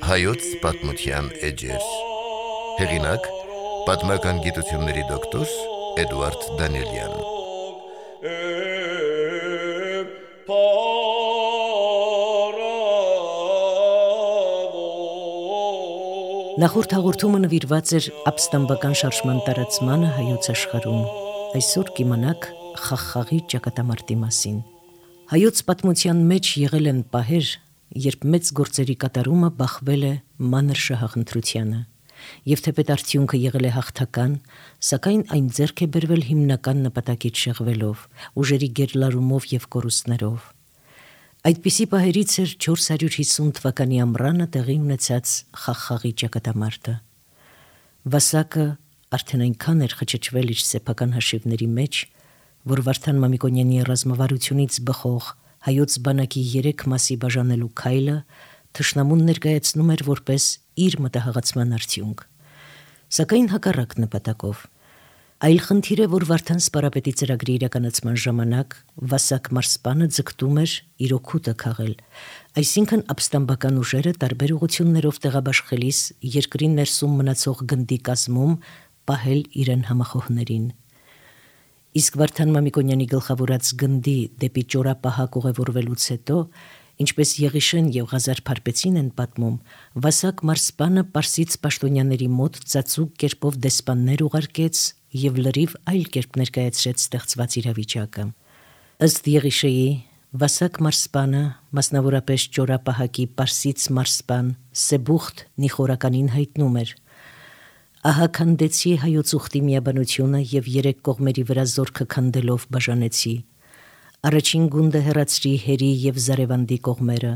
Հայոց պատմության էջեր։ Հեղինակ՝ պատմական գիտությունների դոկտոր Էդուարդ Դանիելյան։ Նախորդ հաղորդումը նվիրված էր ապստամբական շարժման տարածմանը հայոց աշխարհում։ Այսօր կիմանաք Խաղխաղի ճակատամարտի մասին։ Հայոց պատմության մեջ եղել են պահեր, երբ մեծ գործերի կատարումը բախվել է մանր շահախնդրությանը, եւ թեպետ արդյունքը եղել է հաղթական, սակայն այն ձեռք է բերվել հիմնական նպատակից շեղվելով, ուժերի գերլարումով եւ կորուստներով։ Այդպիսի պահերից էր 450 թվականի ամռանը տեղի ունեցած Խաղխաղի ճակատամարտը։ Վասակը արդեն այնքան էր խճճվել իր սեփական հաշիվների մեջ, որ Վարդան Մամիկոնյանի ռազմավարությունից բխող հայոց բանակի 3 մասի բաժանելու քայլը թշնամուն ներկայացնում էր որպես իր մտահղացման արդյունք։ Սակայն հակառակ նպատակով։ Այլ խնդիր է, որ Վարդան սպարապետի ծրագրի իրականացման ժամանակ Վասակ մարզպանը ձգտում էր իր օգուտը քաղել, այսինքն ապստամբական ուժերը տարբեր ուղղություններով տեղաբաշխելիս երկրի ներսում մնացող գնդի կազմում պահել իրեն համախոհներին։ Իսկ Վարդան Մամիկոնյանի գլխավորած գնդի դեպի ճորապահակ ուղևորվելուց հետո, ինչպես Եղիշեն եւ Ղազար Փարպեցին են պատմում, Վասակ մարզպանը պարսից պաշտոնյաների մոտ ծածուկ կերպով դեսպաններ ուղարկեց եւ լրիվ այլ կերպ ներկայացրեց ստեղծված իրավիճակը։ Ըստ Եղիշեի, Վասակ մարզպանը, մասնավորապես ճորապահակի պարսից մարզպան Սեբուխտ Նիխորականին հայտնում էր. «Ահա քանդեցի հայոց ուխտի միաբանությունը եւ 3 կողմերի վրա զորքը քանդելով բաժանեցի։ Առաջին գունդը հեռացրի Հերի եւ Զարևանդի կողմերը,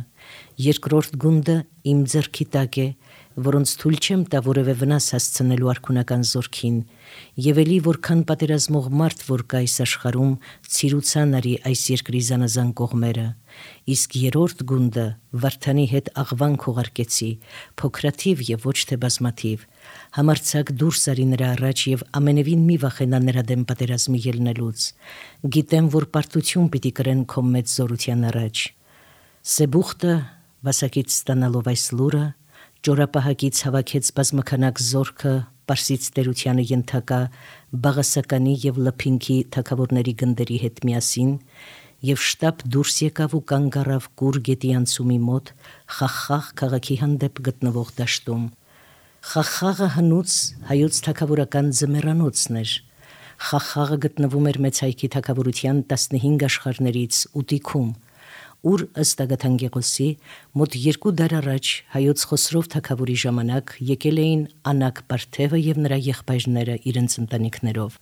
երկրորդ գունդը իմ ձեռքի տակ է, որոնց թույլ չեմ տա որևէ վնաս հասցնելու արքունական զորքին, եւ էլի որքան պատերազմող մարդ որ կա այս աշխարհում, ցիրուցան արի այս երկրի զանազան կողմերը, իսկ երրորդ գունդը Վարդանի հետ աղվանք ուղարկեցի, փոքրաթիվ եւ ոչ թե բազմաթիվ, համարձակ դուրս արի նրա առաջ եւ ամենևին մի վախենա նրա դեմ պատերազմի ելնելուց, գիտեմ, որ պարտություն պիտի կրեն քո մեծ զորության առաջ։ Սեբուխտը, Վասակից ստանալով այս լուրը, ճորապահակից հավաքեց բազմաքանակ զորքը Պարսից տերությանը ենթակա Բաղասականի եւ Լփինքի թագավորների գնդերի հետ միասին եւ շտապ դուրս եկավ ու կանգ առավ Կուր գետի անցումի մոտ Խաղխաղ քաղաքի հանդեպ գտնվող դաշտում։ Խաղխաղը հնուց հայոց թագավորական ձմեռանոցն էր։ Խաղխաղը գտնվում էր Մեծ Հայքի թագավորության 15 աշխարհներից 8-ում, ուր ըստ Ագաթան Գեղոսի մոտ 2 դար առաջ հայոց Խոսրով թագավորի ժամանակ եկել էին Անակ Պարթևը եւ նրա եղբայրները իրենց ընտանիքներով։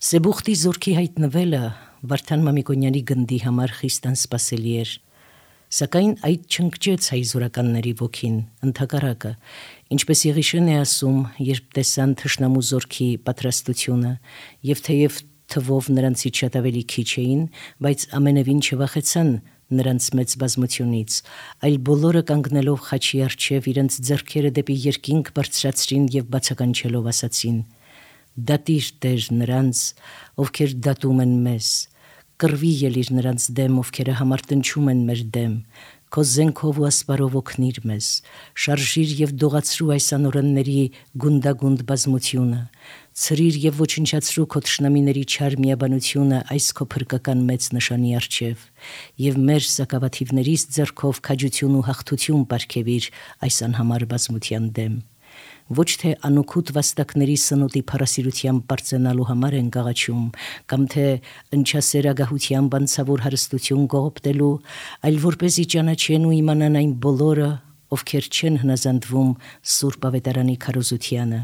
Սեբուխտի զորքի հայտնվելը Վարդան Մամիկոնյանի գնդի համար խիստ անսպասելի էր, սակայն այդ չընկճեց հայ զորականների ոգին, ընդհակառակը, ինչպես Եղիշեն է ասում, երբ տեսան թշնամու զորքի պատրաստությունը եւ թեև թվով նրանցից շատ ավելի քիչ էին, բայց ամենևին չվախեցան նրանց մեծ բազմությունից, այլ բոլորը կանգնելով խաչի առջև իրենց ձեռքերը դեպի երկինք բարձրացրին եւ բացականչելով ասացին. «Դատիր Տեր նրանց, ովքեր դատում են մեզ, կռվի ելիր նրանց դեմ, ովքեր համարտնչում են մեր դեմ, քո զենքով ու ասպարով օգնիր մեզ, շարժիր եւ դողացրու այս անօրենների գունդագունդ բազմությունը, ցրիր եւ ոչնչացրու քո թշնամիների չար միաբանությունը այս քո փրկական մեծ նշանի առջև, եւ մեր սակավաթիվներից ձեռքով քաջություն ու հաղթություն պարգևիր այս անհամար բազմության դեմ։ Ոչ թե անօգուտ վաստակների սնոտի փառասիրությամբ բարձրանալու համար են գաղաչում, կամ թե ընչասեր ագահությամբ անցավոր հարստություն կողոպտելու, այլ որպեսզի ճանաչեն ու իմանան այն բոլորը, ովքեր չեն հնազանդվում Սուրբ Ավետարանի քարոզությանը,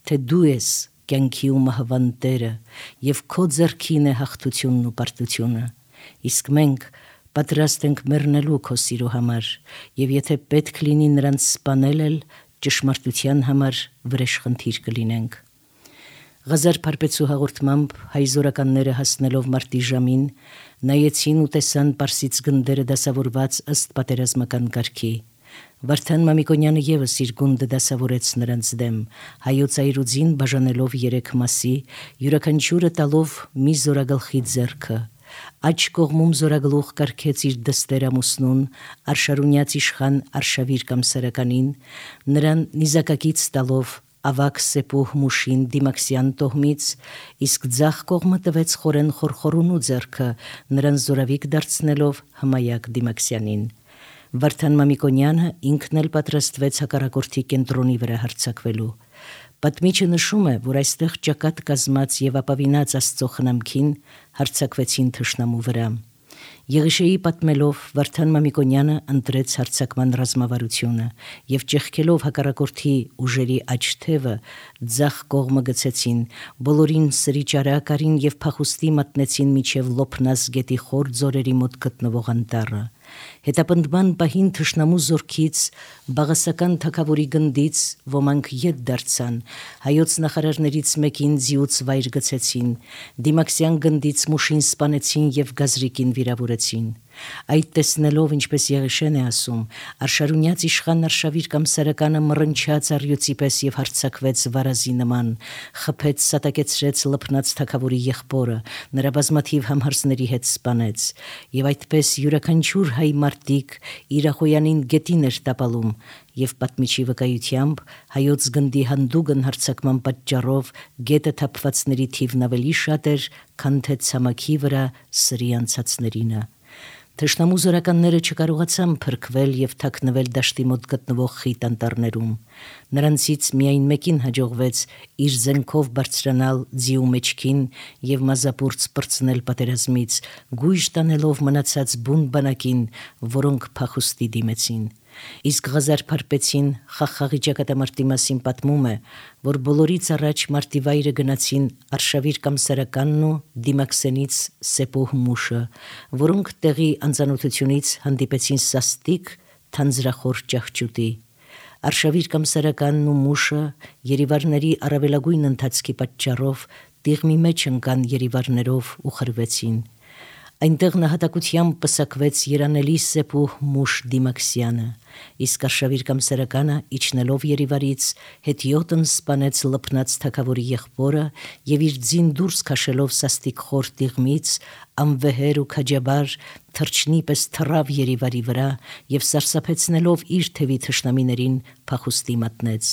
թե դու ես կյանքի ու մահվան Տերը, եւ քո ձեռքին է հաղթությունն ու պարտությունը, իսկ մենք պատրաստ ենք մեռնելու քո սիրո համար, եւ եթե պետք լինի նրանց սպանել էլ, ճշմարտության համար վրեժխնդիր կլինենք։ Ղազար Փարպեցու հաղորդմամբ հայ զորականները հասնելով մարտի ժամին նայեցին ու տեսան պարսից գնդերը դասավորված ըստ պատերազմական կարգի։ Վարդան Մամիկոնյանը եւս իր գունդը դասավորեց նրանց դեմ, հայոց այրուձին բաժանելով 3 մասի, յուրաքանչյուրը տալով մի զորագլխի ձեռքը, Աջ կողմում զորագլուխ կարգեց իր դստեր ամուսնուն, Արշարունյաց իշխան Արշավիր Կամսարականին, նրան նիզակակից տալով ավակ Սեպուհ Մուշին Դիմաքսյան տոհմից, իսկ ձախ կողմը տվեց խորեն Խորխորունու ձեռքը, նրան զորավիկ դարձնելով Հմայակ Դիմաքսյանին։ Վարդան Մամիկոնյանը ինքն էլ պատրաստվեց հակառակորդի կենտրոնի վրա հարձակվելու։ Պատմիչը նշում է, որ այստեղ ճակատ կազմած եւ ապավինած Աստծո խնամքին հարձակվեցին թշնամու վրա։ Եղիշեի պատմելով Վարդան Մամիկոնյանը ընտրեց հարձակման ռազմավարությունը եւ ճեղքելով հակառակորդի ուժերի աջ թևը ձախ կողմը գցեցին, բոլորին սրի ճարակարին եւ փախուստի մատնեցին միջև Լոփնաս գետի խոր ձորերի մոտ գտնվող անտառը։ Հետապնդման պահին թշնամու զորքից Բաղասական թագավորի գնդից ոմանք ետ դարձան, հայոց նախարարներից մեկին ձիուց վայր գցեցին, Դիմաքսյան գնդից Մուշին սպանեցին եւ Գազրիկին վիրավորեցին։ Այդ տեսնելով, ինչպես Եղիշեն է ասում, Արշարունյաց իշխան Արշավիր Կամսարականը մռնչաց առյուծի պես եւ հարձակվեց վարազի նման, խփեց սատակեցրեց Լփնած թագավորի եղբորը, նրա բազմաթիվ համհարսների հետ սպանեց, եւ այդպես յուրաքանչյուր հայ մարտիկ իր ախոյանին գետին էր տապալում, եւ պատմիչի վկայությամբ հայոց գնդի հանդուգն հարձակման պատճառով գետը թափվածների թիվն ավելի շատ էր, քան թե ցամաքի վրա սրի անցածներինը։ Թշնամու զորականները չկարողացան փրկվել եւ թաքնվել դաշտի մոտ գտնվող խիտ անտառներում։ Նրանցից միայն մեկին հաջողվեց իր զենքով բարձրանալ ձիու մեջքին եւ մազապուրց պրծնել պատերազմից, գույժ տանելով մնացած բուն բանակին, որոնք փախուստի դիմեցին։ Իսկ Ղազար Փարպեցին Խախաղի ճակատամարտի մասին պատմում է, որ բոլորից առաջ մարտիվայրը գնացին Արշավիր Կամսարականն ու Դիմաքսենից Սեպուհ Մուշը, որոնք տեղի անծանոթությունից հանդիպեցին սաստիկ թանձրախոր ճահճուտի։ Արշավիր Կամսարականն ու Մուշը երիվարների առավելագույն ընթացքի պատճառով տիղմի մեջ ընկան երիվարներով ու խրվեցին։ Այնտեղ նահատակությամբ պսակվեց երանելի Սեպուհ Մուշ Դիմաքսյանը, իսկ Արշավիր Կամսարականը իջնելով երիվարից հետիոտն սպանեց Լփնած թագավորի եղբորը եւ իր ձին դուրս քաշելով սաստիկ խոր տիղմից անվեհեր ու քաջաբար թրջնի պես թռավ երիվարի վրա եւ սարսափեցնելով իր թևի թշնամիներին փախուստի մատնեց։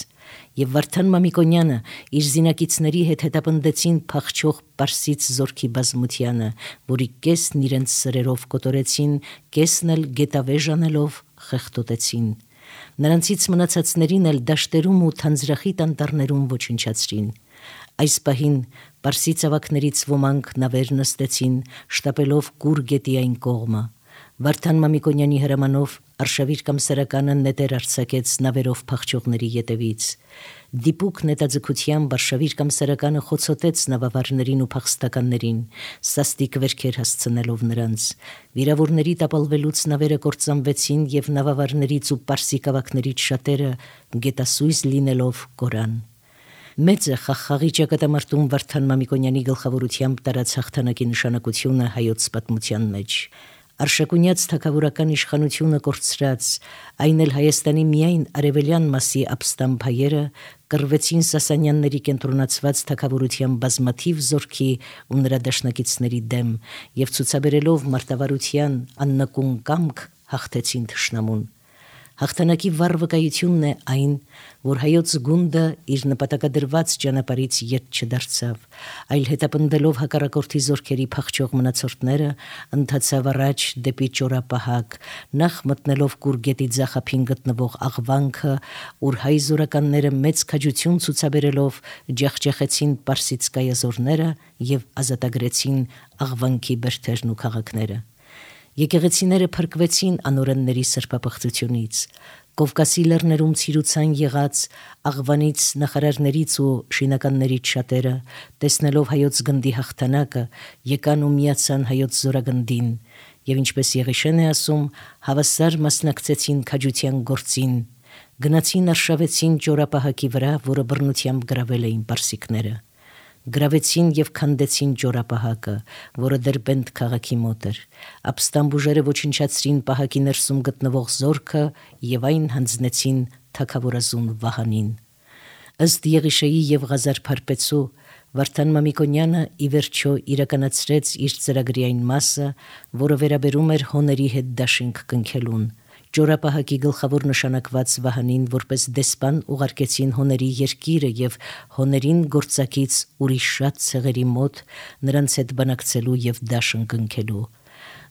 Եվ Վարդան Մամիկոնյանը իր զինակիցների հետ հետապնդեցին փախչող Պարսից զորքի բազմությանը, որի կեսն իրենց սրերով կոտորեցին, կեսն էլ գետավեժ անելով խեղդոտեցին։ Նրանցից մնացածներին էլ դաշտերում ու թանձրախիտ անտառներում ոչնչացրին։ Այս պահին Պարսից ավակներից ոմանք նավեր նստեցին, շտապելով Կուր գետի այն կողմը։ Վարդան Մամիկոնյանի հրամանով Արշավիր Կամսարականը նետեր արձակեց նավերով փախչողների ետևից։ Դիպուկ նետաձգությամբ Արշավիր Կամսարականը խոցոտեց նավավարներին ու փախստականներին, սաստիկ վերքեր հասցնելով նրանց։ Վիրավորների տապալվելուց նավերը կործանվեցին եւ նավավարներից ու պարսիկ ավակներից շատերը գետասույզ լինելով կորան։ Մեծ է Խախաղի ճակատամարտում Վարդան Մամիկոնյանի գլխավորությամբ տարած հաղթանակի նշանակությունը հայոց պատմության մեջ։ Արշակունյաց թագավորական իշխանությունը կորցրած, այն էլ Հայաստանի միայն արևելյան մասի ապստամբ հայերը կռվեցին Սասանյանների կենտրոնացված թագավորության բազմաթիվ զորքի ու նրա դաշնակիցների դեմ եւ ցուցաբերելով մարտավարության աննկուն կամք հաղթեցին թշնամուն։ Հաղթանակի վառ վկայությունն է այն, որ հայոց գունդը իր նպատակադրված ճանապարհից ետ չդարձավ, այլ հետապնդելով հակառակորդի զորքերի փախչող մնացորդները, ընթացավ առաջ դեպի Ճորապահակ, նախ մտնելով Կուր գետի ձախափին գտնվող Աղվանքը, ուր հայ զորականները մեծ քաջություն ցուցաբերելով ջախջախեցին Պարսից կայազորները եւ ազատագրեցին Աղվանքի բերդերն ու քաղաքները։ Եկեղեցիները փրկվեցին անօրենների սրբապղծությունից, Կովկասի լեռներում ցիրուցան եղած Աղվանից նախարարներից ու շինականներից շատերը, տեսնելով հայոց գնդի հաղթանակը, եկան ու միացան հայոց զորագնդին, եւ ինչպես Եղիշեն է ասում, հավասար մասնակցեցին քաջության գործին, գնացին արշավեցին Ճորապահակի վրա, որը բռնությամբ գրավել էին պարսիկները։ Գրավեցին եւ քանդեցին Ճորապահակը, որը Դերբենդ քաղաքի մոտ էր։ Ապստամբ ուժերը ոչնչացրին պահակի ներսում գտնվող զորքը եւ այն հանձնեցին թագավորազուն Վահանին։ Ըստ Եղիշեի եւ Ղազար Փարպեցու, Վարդան Մամիկոնյանը ի վերջո իրականացրեց իր ծրագրի այն մասը, որը վերաբերում էր հոների հետ դաշինք կնքելուն։ Ջորապահակի գլխավոր նշանակված Վահանին որպես դեսպան ուղարկեցին հոների երկիրը եւ հոներին գործակից ուրիշ շատ ցեղերի մոտ նրանց հետ բանակցելու եւ դաշն կնքելու։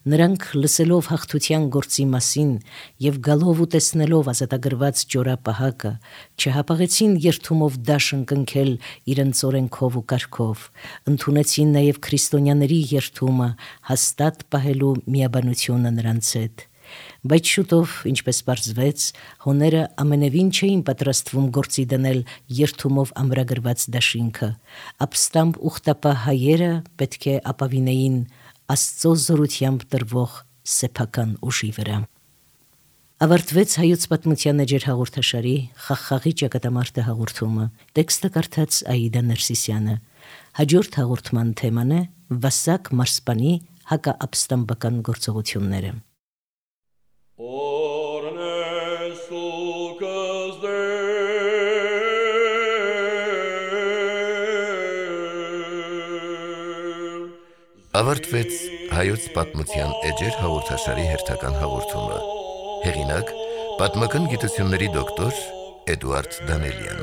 Նրանք լսելով հաղթության գործի մասին եւ գալով ու տեսնելով ազատագրված Ջորապահակը չհապաղեցին երթումով դաշն կնքել իրենց օրենքով ու կարգով, ընդունեցին նաեւ քրիստոնյաների երթումը հաստատ պահելու միաբանությունը նրանց հետ։ Բայց շուտով, ինչպես պարզվեց, հոները ամենևին չէին պատրաստվում գործի դնել երթումով ամրագրված դաշինքը, ապստամբ ուխտապահ հայերը պետք է ապավինեին Աստծո զորությամբ տրվող սեփական ուժի վրա։ Ավարտվեց հայոց պատմության էջեր հաղորդաշարի Խաղաղի ճակատամարտը հաղորդումը։ Տեքստը կարդաց Աիդա Ներսիսյանը։ Հաջորդ հաղորդման թեման է Վասակ մարսպանի հակաապստամբական գործողությունները։ Ավարտվեց հայոց պատմության էջեր հաղորդաշարի հերթական հաղորդումը։ Հեղինակ՝ պատմական գիտությունների դոկտոր Էդուարդ Դանելյան։